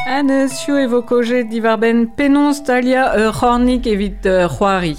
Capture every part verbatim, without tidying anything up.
Anez chou e vo kojet diwar ben penaos talia ur c'hornig evit uh, c'hoari.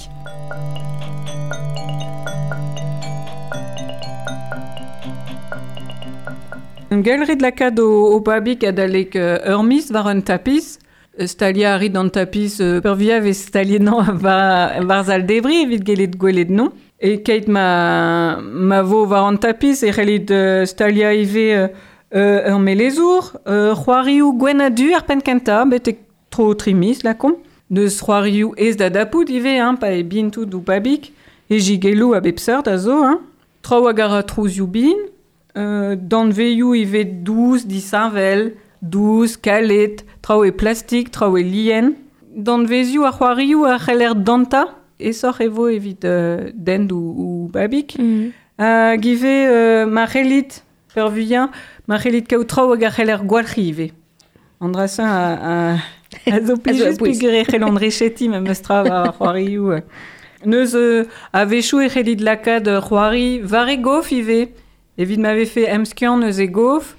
Un gelrit lakaat o, o babig adalek uh, ur miz war un tapis. Stalia a rit an tapis uh, peurvia vez staliet nan war, war zal debri evit gelet gwelet non. E keit ma, ma vo war an tapis e c'hellit uh, stalia ivez uh, ur melezour, uh, c'hoarioù gwenn a du ar penn kentañ, betek tro tri miz lakomp. Neus c'hoarioù ez da dapout ivez, hein, pa e bin tout ou babig. E jigelloù a bep seurt a zo, hein. Traoù hag a ra trouzioù bin. Euh, danveioù ivez dous, disheñvel, dous, kalet, traoù e plastik, traoù e lien. Danvezioù ar c'hoarioù a c'heller danta, esoc'h e vo evit euh, dent ou, ou babig. Mm. Hag ivez euh, ma c'hellit, peurvuiañ, ma c'hellit kaout traoù hag a c'heller gwalc'hi ivez. An dra-se a, a, a zo plijus peogwir e c'hellont recheti memes tra war ar c'hoarioù. Neus euh, a-wechoù e c'hellit lakaat c'hoari war e gof ivez. Evit ma vefe emskiant eus e gof,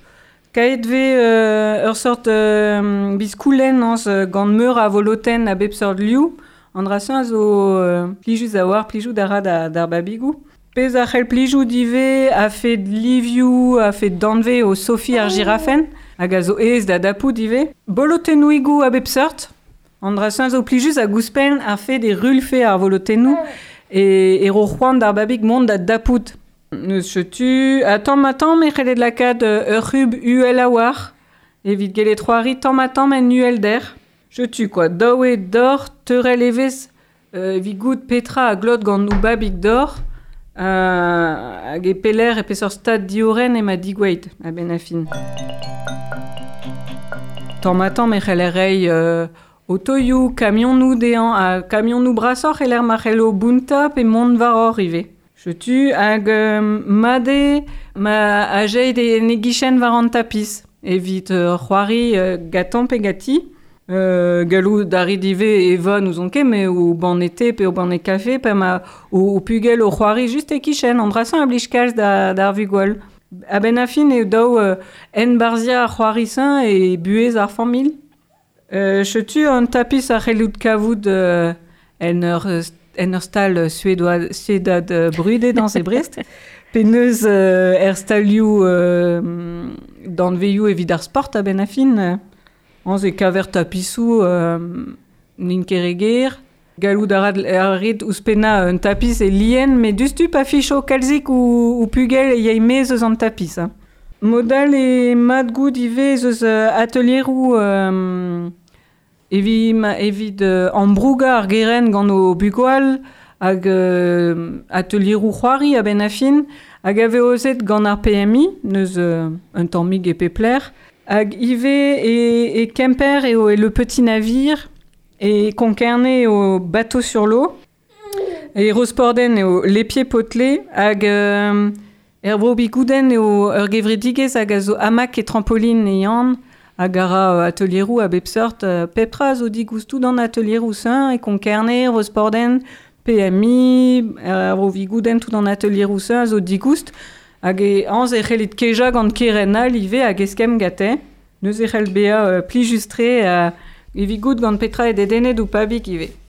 kaet ve euh, ur sort euh, biskoulenn anz gant meur a volotenn a bep seurt liou, an dra-se a zo euh, plijus a war, plijou da ra da, d'ar babigou. Pezh a c'hell plijou divez a fet livioù, a fet danve o Sophie ar girafen, hag a zo aes da dapout ivez. Bolotennouigoù a bep seurt, an dra-se a zo plijus a gouspenn a fet e rulfe ar volotennoù e, e ro c'hoant d'ar babig mont da dapout. Neus chetu, a tamm ma tamm e c'hellet lakaat ur c'hub uhel a war, evit gellet c'hoari tamm ma tamm en uhelder. Chetu quoi, daou eo d'or, teurel evez, euh, evit goût petra a glot gant ou babig d'or, euh, hag e peler e peseurt stad dioren ema digoueit, a-benn a fin. Tamm ma tamm e c'heller reiñ euh, otoioù, kamionoù dezhañ, ha kamionoù brasoc'h e lec'h ma c'hello bountañ pe mont war hor ivez. Chetu hag euh, made ma ajeit e ne gichen war an tapis evit euh, c'hoari euh, gatan pe gati. Euh, gallout da rit ivez eva nous on ket, mais o ban été pe o ban e kafe pe ma o, o pugel o c'hoari just e kichen an drasañ a blij kalz da, d'ar vugol. A-benn a fin eo daou euh, en barzia ar c'hoari-sañ e buhez ar familh. Euh, chetu an tapis a c'hellout kavout euh, en ur en ur stal suédois, suédad brudet dans e Brest. Penaos euh, er stalioù euh, danveioù evit ar sport a-benn a fin. Anz e kaver tapisoù euh, n'int ket re ger. Gallout a ra rit ouzhpennañ un tapis e lien, met dustu pa ficho kalzik ou, ou pugel e yay mez eus an tapis. Hein. Modal e mat gout ivez eus atelieroù euh, evit, ma, evit euh, ambrougañ ar geren gant o bugwal hag euh, atelieroù c'hoari a-benn a fin, hag a ozet gant ar P M I, neus euh, un tammig e pepler, hag ivez e, e Kemper eo e Le Petit Navire, e Konkarne eo Bateau sur l'eau, e Rosporden eo Les Pieds Potelés, hag euh, er vro Bigouden eo ur gevredigezh hag a zo hamac e trampoline e yann, hag a ra atelieroù a bep seurt, euh, pepra a zo digoustou d'an atelieroù sain, e Konkarne, Rosporden, P M I, er vro Bigouden tout an atelieroù sain a zo digoust, hag e anz e c'hellit kejañ gant keren all ivez hag eskemm gante. Neuze e c'hell bezañ euh, plijus-tre euh, evit goût gant petra e dedennet ou pabig ivez.